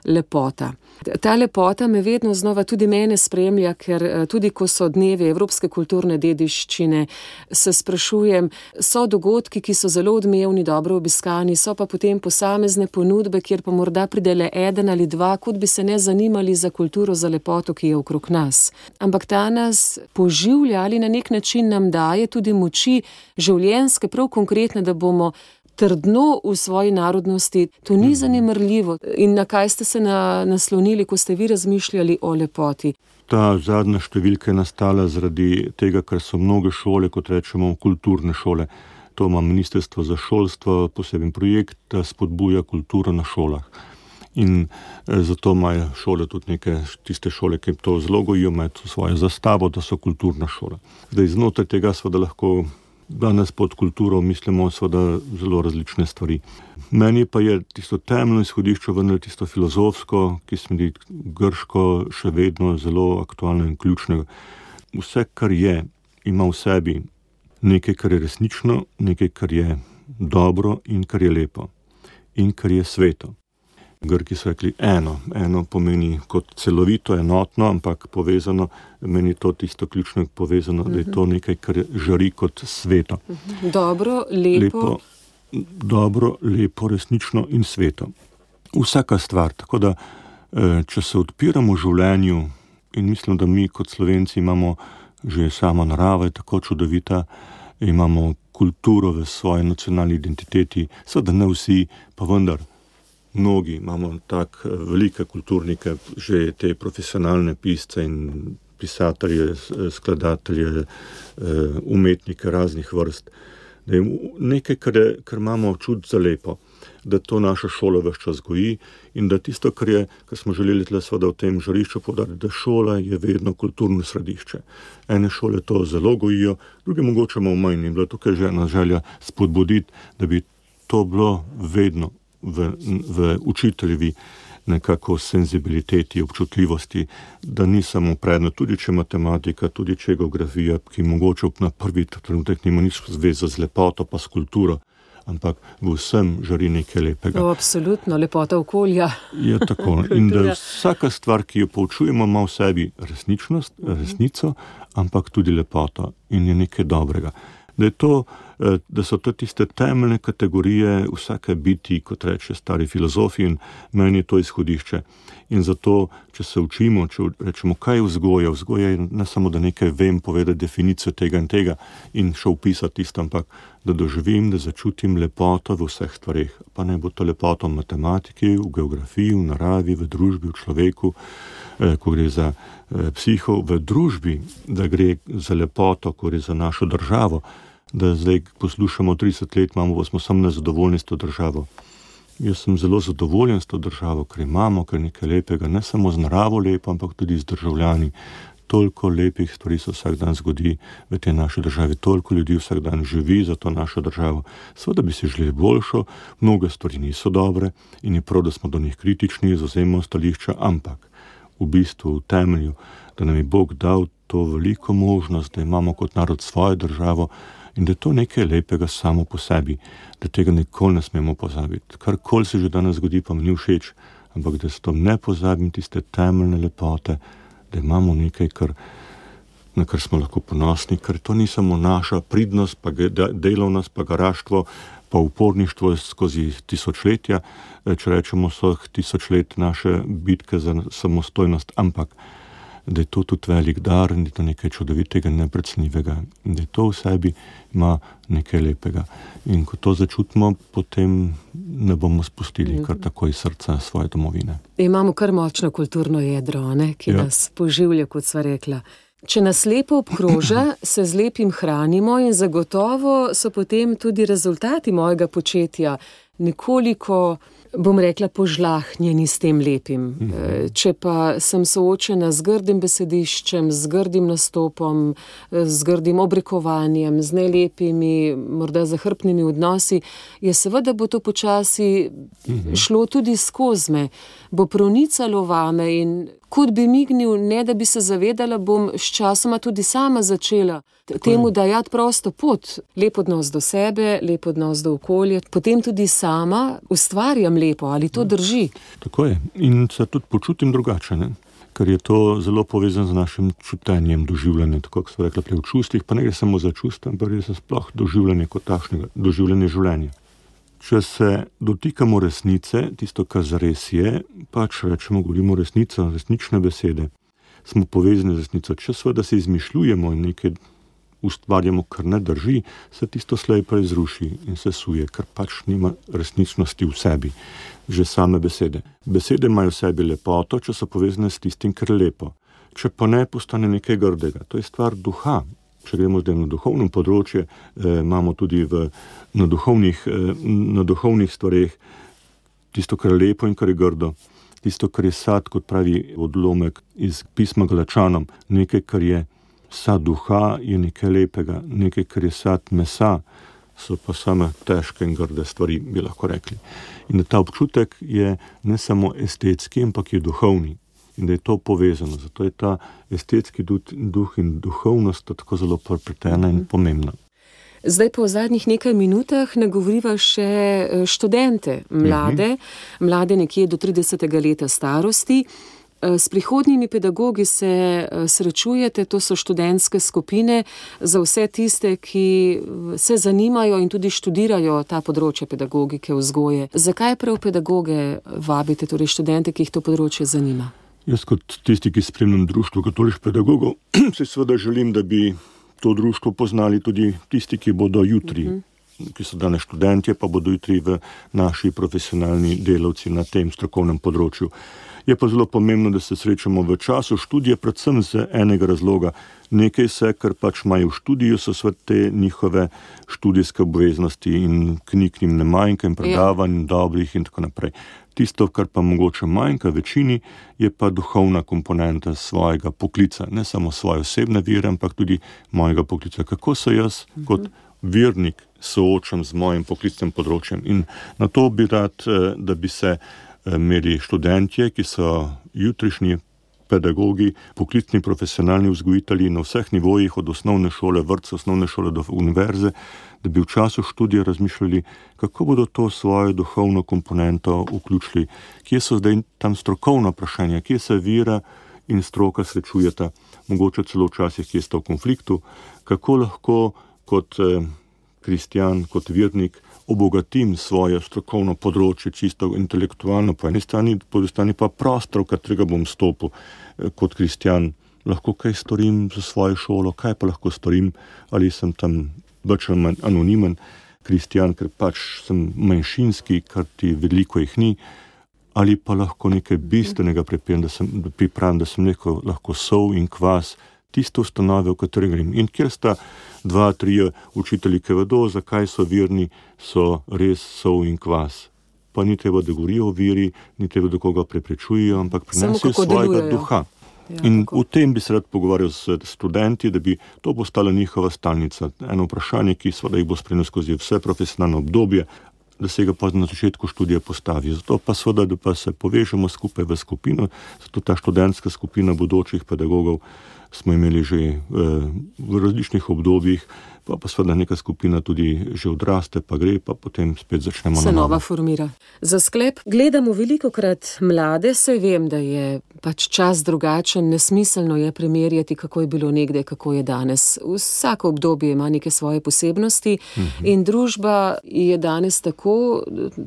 [SPEAKER 3] lepota. Ta lepota me vedno znova tudi mene spremlja, ker tudi ko so dnevi evropske kulturne dediščine, se sprašujem, so dogodki, ki so zelo odmevni, dobro obiskani, so pa potem posamezne ponudbe, kjer pa morda pride le eden ali dva, kot bi se ne zanimali za kulturo, za lepoto, ki je okrog nas. Ampak ta nas poživlja ali na nek način nam daje tudi moči življenjske, prav konkretne, da bomo trdno v svoji narodnosti. To ni zanemarljivo. In na kaj ste se naslonili, ko ste vi razmišljali o lepoti?
[SPEAKER 4] Ta zadnja številka je nastala zaradi tega, ker so mnoge šole, kot rečemo, kulturne šole. To ima Ministrstvo za šolstvo, poseben projekt, da spodbuja kulturo na šolah. In zato imajo šole tudi neke tiste šole, ki to zelo gojijo, imajo svojo zastavo, da so kulturna šola. Zdaj, znotraj tega seveda lahko danes pod kulturo mislimo seveda zelo različne stvari. Meni pa je tisto temeljno izhodišče vendar tisto filozofsko, ki se mi zdi grško še vedno zelo aktualno in ključnega. Vse, kar je, ima v sebi nekaj, kar je resnično, nekaj, kar je dobro in kar je lepo in kar je sveto. Grki so rekli eno pomeni kot celovito, enotno, ampak povezano, meni to tisto ključno povezano, da je to nekaj, kar žari kot sveto.
[SPEAKER 3] Dobro, lepo.
[SPEAKER 4] Dobro, lepo, resnično in sveto. Vsaka stvar, tako da, če se odpiramo življenju in mislim, da mi kot Slovenci imamo že sama narava je tako čudovita, imamo kulturo v svoji nacionalni identiteti, seveda ne vsi, pa vendar mnogi imamo tak velike kulturnike, že te profesionalne pisce in pisatelje, skladatelje, umetnike raznih vrst. Da je nekaj, kar imamo čut za lepo, da to naša šola ves čas goji in da tisto, kar smo želeli tle seveda v tem žarišču poudariti, da šola je vedno kulturno središče. Ene šole to zelo gojijo, druge mogoče malo manj in bila tukaj že ena želja spodbuditi, da bi to bilo vedno v učiteljevi nekako senzibiliteti, občutljivosti, da ni samo predmet, tudi če matematika, tudi če geografija, ki mogoče na prvi trenutek nima nič zveze z lepoto pa s kulturo, ampak v vsem žari nekaj lepega.
[SPEAKER 3] Absolutno, lepota okolja.
[SPEAKER 4] Je tako. In da vsaka stvar, ki jo poučujemo, ima v sebi resnico, ampak tudi lepoto in je nekaj dobrega. Da so to tiste temeljne kategorije vsake biti, kot reče stari filozofi, in meni je to izhodišče. In zato, če se učimo, če rečemo, kaj je vzgoja, vzgoja je ne samo, da nekaj vem, povedati definicijo tega in tega in še opisati tisto, ampak da doživim, da začutim lepoto v vseh stvareh. Pa ne bo to lepoto v matematiki, v geografiji, v naravi, v družbi, v človeku, ko gre za psiho, v družbi, da gre za lepoto, ko gre za našo državo, da zdaj poslušamo 30 let, pa smo samo nezadovoljni s to državo. Jaz sem zelo zadovoljen s to državo, ker imamo kar nekaj lepega, ne samo z naravo lepo, ampak tudi z državljani. Toliko lepih stvari se vsak dan zgodi v tej naši državi, toliko ljudi vsak dan živi za to našo državo. Seveda bi si želeli boljšo, mnoge stvari niso dobre in je prav, da smo do njih kritični, zavzemamo stališča, ampak v bistvu, v temelju, da nam je Bog dal to veliko možnost, da imamo kot narod svojo državo in da je to nekaj lepega samo po sebi, da tega nikoli ne smemo pozabiti. Karkoli se že danes zgodi, pa mi ni všeč, ampak da se to ne pozabim, tiste temeljne lepote, da imamo nekaj, na kar smo lahko ponosni, ker to ni samo naša pridnost, pa delovnost, pa garaštvo, pa uporništvo skozi tisočletja, če rečemo vseh 1000 let naše bitke za samostojnost, ampak da je to tudi velik dar in da je to nekaj čudovitega, neprecenljivega, da je to v sebi ima nekaj lepega. In ko to začutimo, potem ne bomo spustili kar tako iz srca svoje domovine.
[SPEAKER 3] Imamo kar močno kulturno jedro, ne, ki nas poživlja, kot sva rekla. Če nas lepo obkroža, se z lepim hranimo in zagotovo so potem tudi rezultati mojega početja nekoliko, bom rekla, požlahnjeni s tem lepim. Če pa sem soočena z grdim besediščem, z grdim nastopom, z grdim obrekovanjem, z nelepimi, morda zahrbtnimi odnosi, je seveda bo to počasi šlo tudi skozi me, bo pronicalo vame in kot bi mignil, ne da bi se zavedala, bom sčasoma tudi sama začela temu dajati prosto pot. Lep odnos do sebe, lep odnos do okolja, potem tudi sama ustvarjam lepo, ali to drži?
[SPEAKER 4] Tako je. In se tudi počutim drugače, ne? Ker je to zelo povezano z našim čutenjem, doživljanjem, tako kot so rekla prej v čustvih, pa ne gre samo za čustva, ampak gre za sploh doživljanje kot takšnega, doživljanje življenja. Če se dotikamo resnice, tisto, kar zares je, pač rečemo, govorimo resnico, resnične besede, smo povezani z resnico. Če seveda se izmišljujemo in nekaj ustvarjamo, kar ne drži, se tisto slej pa izruši in se suje, ker pač nima resničnosti v sebi, že same besede. Besede imajo v sebi lepoto, če so povezane s tistim, kar je lepo. Če pa ne, postane nekaj grdega. To je stvar duha. Če gremo zdaj na duhovnem področju, imamo tudi na duhovnih stvareh tisto, kar je lepo in kar je grdo. Tisto, kar je sad, kot pravi odlomek iz pisma Galačanom, nekaj, kar je sad duha, je nekaj lepega, nekaj, kar je sad mesa, so pa same težke in grde stvari, bi lahko rekli. In ta občutek je ne samo estetski, ampak je duhovni. In da je to povezano. Zato je ta estetski duh in duhovnost tako zelo prepletena in pomembna.
[SPEAKER 3] Zdaj pa v zadnjih nekaj minutah nagovoriva še študente, mlade nekje do 30. leta starosti. S prihodnjimi pedagogi se srečujete, to so študentske skupine za vse tiste, ki se zanimajo in tudi študirajo ta področje pedagogike, vzgoje. Zakaj prav pedagoge vabite, torej študente, ki jih to področje zanima?
[SPEAKER 4] Jaz kot tisti, ki spremljam društvo katoliških pedagogov, si seveda želim, da bi to društvo poznali tudi tisti, ki bodo jutri, ki so danes študentje, pa bodo jutri v naši profesionalni delavci na tem strokovnem področju. Je pa zelo pomembno, da se srečamo v času študija, predvsem z enega razloga. Nekaj se, kar pač imajo v študiju, so te njihove študijske obveznosti in knjig njim ne manjka in predavanj dobrih in tako naprej. Tisto, kar pa mogoče manjka večini, je pa duhovna komponenta svojega poklica. Ne samo svoje osebne vere, ampak tudi mojega poklica. Kako se jaz kot vernik soočam z mojim poklicnim področjem. In na to bi rad, da bi se imeli študentje, ki so jutrišnji pedagogi, poklicni profesionalni vzgojitelji na vseh nivojih, od osnovne šole, vrtca, osnovne šole do univerze, da bi v času študija razmišljali, kako bodo to svojo duhovno komponento vključili, kje so zdaj tam strokovna vprašanja, kje se vera in stroka srečujeta, mogoče celo včasih, kje sta v konfliktu, kako lahko kot kristjan, kot vernik obogatim svoje strokovno področje, čisto intelektualno po eni strani, po drugi strani pa prostor, v katerega bom stopil kot kristjan. Lahko kaj storim za svojo šolo, kaj pa lahko storim, ali sem tam več ali manj anonimen kristjan, ker pač sem manjšinski, kar ti veliko jih ni, ali pa lahko nekaj bistvenega pripravim, da sem lahko sol in kvas, tiste ustanove, v kateri grem. In kjer sta 2-3 učitelji, ki vedo, zakaj so verni, so res sol in kvas. Pa ni treba, da govorijo o veri, ni treba, da koga preprečujejo, ampak prinesejo svojega duha. In v tem bi se rad pogovarjal s študenti, da bi to postala njihova stalnica. Eno vprašanje, ki seveda jih bo spremljal skozi vse profesionalno obdobje, da se ga pa na začetku študija postavi. Zato pa seveda, da pa se povežemo skupaj v skupino, zato ta študentska skupina bodočih pedagogov smo imeli že v različnih obdobjih pa seveda neka skupina tudi že odraste, pa gre, pa potem spet začnemo
[SPEAKER 3] se
[SPEAKER 4] na novo.
[SPEAKER 3] nova formira. Za sklep, gledamo velikokrat mlade, saj vem, da je pač čas drugačen, nesmiselno je primerjati, kako je bilo nekdaj, kako je danes. Vsako obdobje ima neke svoje posebnosti in družba je danes tako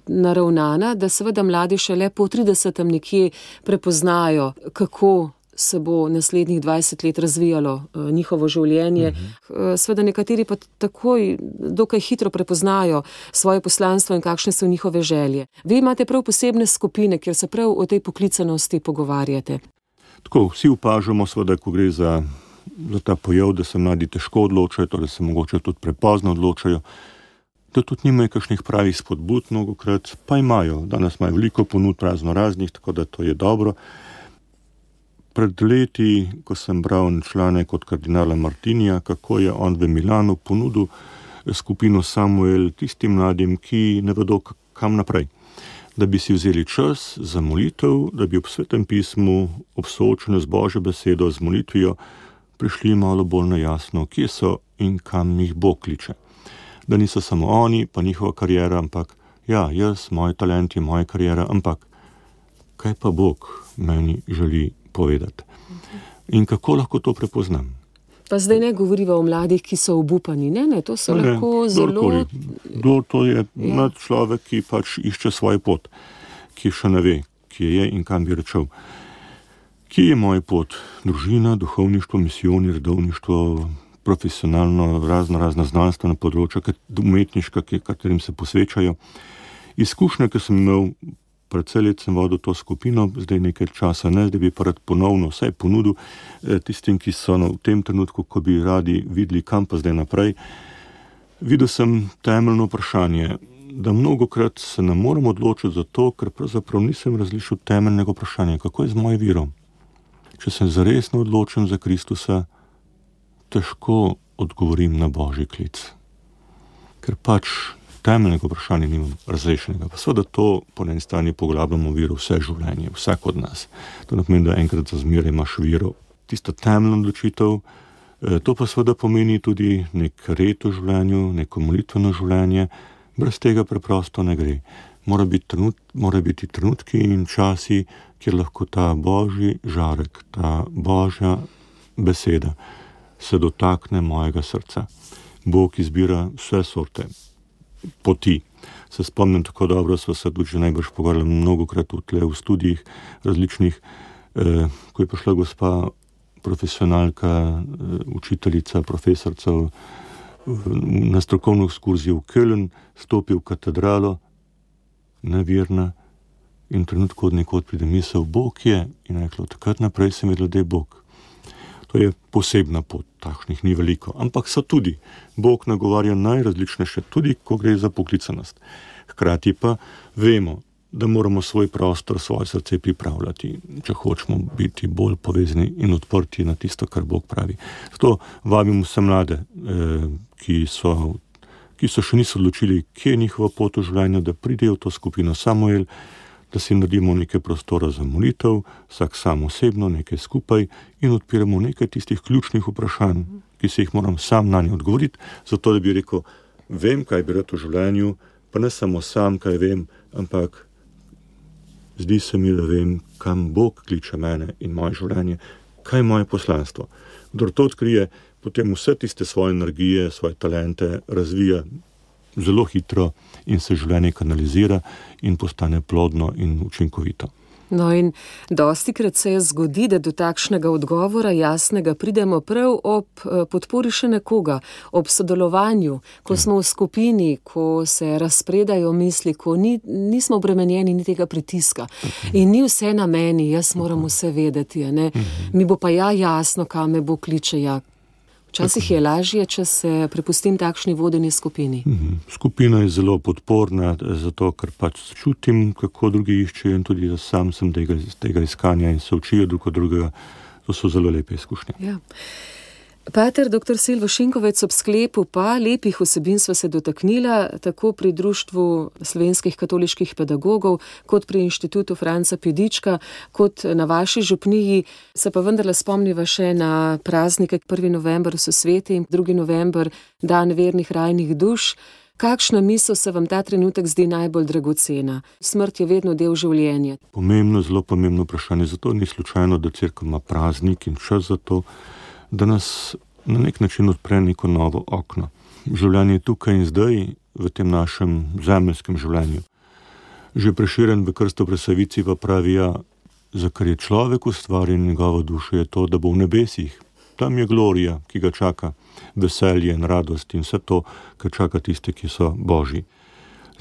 [SPEAKER 3] naravnana, da seveda mladi šele po 30. nekje prepoznajo, kako se bo naslednjih 20 let razvijalo njihovo življenje. Seveda nekateri pa takoj dokaj hitro prepoznajo svoje poslanstvo in kakšne so njihove želje. Vi imate prav posebne skupine, kjer se prav o tej poklicanosti pogovarjate.
[SPEAKER 4] Tako, vsi opažamo seveda, ko gre za ta pojav, da se mladi težko odločajo, da se mogoče tudi prepozno odločajo, da tudi nimajo kakšnih pravih spodbud mnogokrat, pa imajo. Danes imajo veliko ponud razno raznih, tako da to je dobro. Pred leti, ko sem bral članek od kardinala Martinija, kako je on v Milanu ponudil skupino Samuel tistim mladim, ki ne vedo, kam naprej. Da bi si vzeli čas za molitev, da bi ob Svetem pismu, ob soočenju z Božjo besedo, z molitvijo, prišli malo bolj na jasno, kje so in kam jih Bog kliče. Da niso samo oni, pa njihova karijera, ampak ja, jaz, moji talenti, moja karijera, ampak kaj pa Bog meni želi povedati. In kako lahko to prepoznam?
[SPEAKER 3] Pa zdaj ne govoriva o mladih, ki so obupani, ne, to so lahko zelo...
[SPEAKER 4] To je mlad človek, ki pač išče svojo pot, ki še ne ve, kje je in kam bi rečel. Kje je moja pot? Družina, duhovništvo, misioni, redovništvo, profesionalno, razna znanstvena področja, umetniška, katerim se posvečajo. Izkušnje, ki sem imel, predvsej let sem vodil to skupino, zdaj nekaj časa ne, zdaj bi pa rad ponovno vsaj ponudil tistim, ki so v tem trenutku, ko bi radi videli, kam pa zdaj naprej. Videl sem temeljno vprašanje, da mnogokrat se ne moram odločiti za to, ker pravzaprav nisem razlišil temeljnega vprašanja, kako je z mojim virom. Če sem zaresno odločen za Kristusa, težko odgovorim na Božji klic. Ker pač temeljnega vprašanja nimam razrešenega. Pa seveda to po eni strani poglabljamo viro vse življenje, vsak od nas. To ne pomeni, da enkrat za zmeraj imaš viro. Tisto temeljno odločitev, to pa seveda pomeni tudi nek red v življenju, neko molitveno življenje. Brez tega preprosto ne gre. Mora biti trenutki in časi, kjer lahko ta Božji žarek, ta Božja beseda se dotakne mojega srca. Bog izbira vse sorte poti. Se spomnim tako dobro, sva se tudi že najbrž pogovarjali mnogokrat v studijih različnih, ko je prišla gospa profesionalka, učiteljica, profesorca na strokovno ekskurzijo v Köln, stopi v katedralo, neverna, in trenutku od nekod pride misel, Bog je, in rekla, takrat naprej sem vedela, da je Bog. To je posebna pot, takšnih ni veliko, ampak so tudi. Bog nagovarja najrazličnejše, tudi ko gre za poklicanost. Hkrati pa vemo, da moramo svoj prostor, svoje srce pripravljati, če hočemo biti bolj povezani in odprti na tisto, kar Bog pravi. Zato vabim vse mlade, ki so še niso odločili, kje je njihova pot v življenju, da pridejo v to skupino Samuel, da si naredimo nekaj prostora za molitev, vsak sam osebno, nekaj skupaj in odpiramo nekaj tistih ključnih vprašanj, ki se jih moram sam na nje odgovoriti, zato da bi rekel, vem, kaj bi rad v življenju, pa ne samo sam, kaj vem, ampak zdi se mi, da vem, kam Bog kliče mene in moje življenje, kaj je moje poslanstvo. Kdor to odkrije, potem vse tiste svoje energije, svoje talente razvija zelo hitro in se življenje kanalizira in postane plodno in učinkovito.
[SPEAKER 3] No in dostikrat se zgodi, da do takšnega odgovora jasnega pridemo prav ob podpori še nekoga, ob sodelovanju, ko smo v skupini, ko se razpredajo misli, ko nismo obremenjeni ni tega pritiska. In ni vse na meni, jaz moram vse vedeti, ne? Mi bo pa jasno, kam me Bog kliče, Včasih je lažje, če se prepustim takšni vodeni skupini.
[SPEAKER 4] Skupina je zelo podporna, zato ker pač čutim, kako drugi iščejo in tudi sam sem tega iskanja in se učijo drug od drugega. To so zelo lepe izkušnje.
[SPEAKER 3] Ja. Pater dr. Silvo Šinkovec, ob sklepu pa lepih vsebin sva se dotaknila tako pri Društvu slovenskih katoliških pedagogov, kot pri Inštitutu Franca Pedička, kot na vaši župniji. Se pa vendarle spomniva še na praznike. 1. november so sveti in 2. november dan vernih rajnih duš. Kakšna misel se vam ta trenutek zdi najbolj dragocena? Smrt je vedno del življenja.
[SPEAKER 4] Pomembno, zelo pomembno vprašanje. Zato ni slučajno, da cerkev ima praznik in čas za to, da nas na nek način odpre neko novo okno. Življenje je tukaj in zdaj, v tem našem zemeljskem življenju. Že Prešeren v Krstu Presavici pa pravi, za kar je človek ustvarjen, njegova duša je to, da bo v nebesih. Tam je glorija, ki ga čaka, veselje in radost in vse to, kar čaka tiste, ki so božji.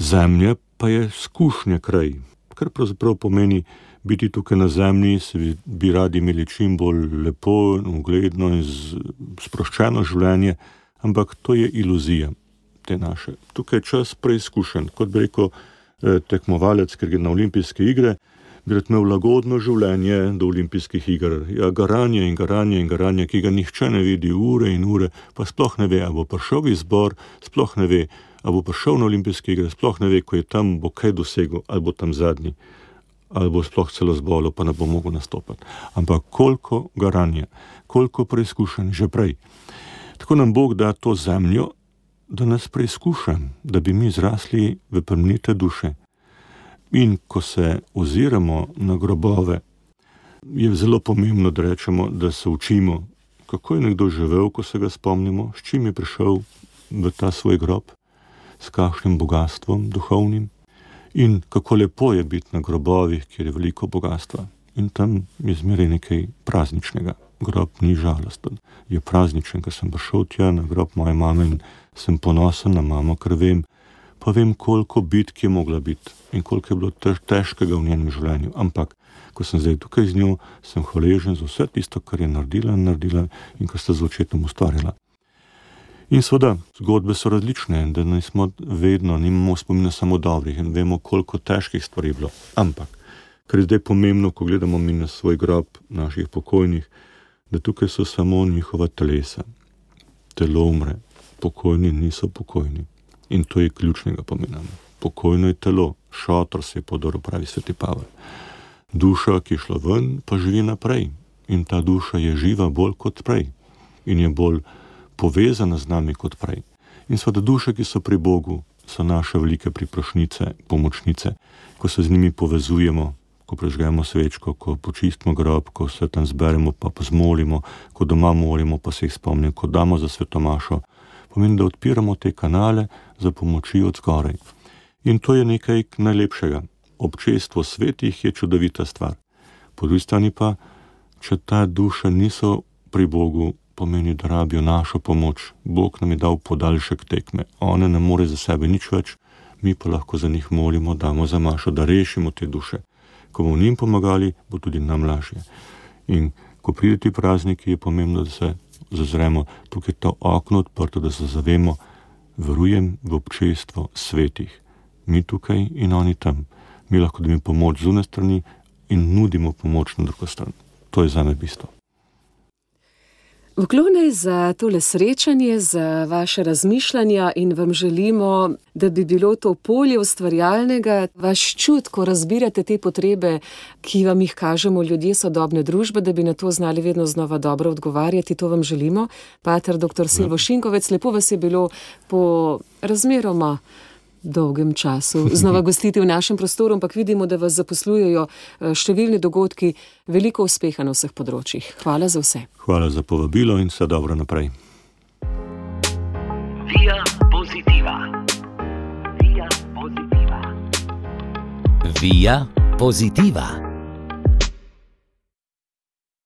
[SPEAKER 4] Zemlja pa je skušnja kraj, kar pravzaprav pomeni biti tukaj na zemlji, se bi radi imeli čim bolj lepo, ugledno in sproščeno življenje, ampak to je iluzija te naše. Tukaj je čas preizkušen, kot bi rekel tekmovalec, ker gre na olimpijske igre, bi rad imel lagodno življenje do olimpijskih iger. Ja, garanje in garanje in garanje, ki ga nihče ne vidi ure in ure, pa sploh ne ve, a bo prišel v izbor, sploh ne ve, a bo prišel na olimpijske igre, sploh ne ve, ko je tam, bo kaj dosegel, ali bo tam zadnji, ali bo sploh celo zbolel, pa ne bo mogel nastopati. Ampak koliko garanja, koliko preizkušenj že prej. Tako nam Bog da to zemljo, da nas preizkuša, da bi mi zrasli v plemenite duše. In ko se oziramo na grobove, je zelo pomembno, da rečemo, da se učimo, kako je nekdo živel, ko se ga spomnimo, s čim je prišel v ta svoj grob, s kakšnim bogatstvom duhovnim in kako lepo je biti na grobovih, kjer je veliko bogatstva. In tam je zmeraj nekaj prazničnega. Grob ni žalosten, je prazničen, ker sem prišel tja na grob moje mame in sem ponosen na mamo, ker vem, pa vem, koliko bitk je mogla biti in koliko je bilo težkega v njenem življenju. Ampak, ko sem zdaj tukaj z njo, sem hvaležen za vse tisto, kar je naredila in kar sta z očetom ustvarila. In seveda, zgodbe so različne, da nismo vedno, nimamo spomina samo dobrih in vemo, koliko težkih stvari je bilo. Ampak, kar je zdaj pomembno, ko gledamo mi na svoj grob naših pokojnih, da tukaj so samo njihova telesa. Telo umre, pokojni niso pokojni. In to je ključnega pomena. Pokojno je telo, šotor se je podoril, pravi sveti Pavel. Duša, ki je šla ven, pa živi naprej. In ta duša je živa bolj kot prej. In je bolj povezana z nami kot prej. In seveda duše, ki so pri Bogu, so naše velike priprošnice, pomočnice. Ko se z njimi povezujemo, ko prežgemo svečko, ko počistimo grob, ko se tam zberemo, pa zmolimo, ko doma molimo, pa se jih spomnimo, ko damo za svetomašo, pomeni, da odpiramo te kanale za pomoči od zgoraj. In to je nekaj najlepšega. Občestvo svetih je čudovita stvar. Po drugi strani pa, če ta duša niso pri Bogu, pomeni, da rabijo našo pomoč. Bog nam je dal podaljšek tekme. One ne more za sebe nič več, mi pa lahko za njih molimo, damo za mašo, da rešimo te duše. Ko bomo njim pomagali, bo tudi nam lažje. In ko pride ti prazniki, je pomembno, da se zazremo, tukaj je to okno odprto, da se zavemo, verujem v občestvo svetih. Mi tukaj in oni tam. Mi lahko dobimo pomoč z une strani in nudimo pomoč na drugo stran. To je zame bistvo.
[SPEAKER 3] Vklone za tole srečanje, za vaše razmišljanja in vam želimo, da bi bilo to polje ustvarjalnega, vaš čut, ko razbirate te potrebe, ki vam jih kažemo ljudje sodobne družbe, da bi na to znali vedno znova dobro odgovarjati. To vam želimo. Pater dr. Silvo Šinkovec, lepo vas je bilo po razmeroma dolgem času znova gostiti v našem prostoru, ampak vidimo, da vas zaposlujejo številni dogodki, veliko uspeha na vseh področjih. Hvala za vse.
[SPEAKER 4] Hvala za povabilo in vse dobro naprej.
[SPEAKER 1] Via Positiva. Via Positiva.
[SPEAKER 2] Via Positiva.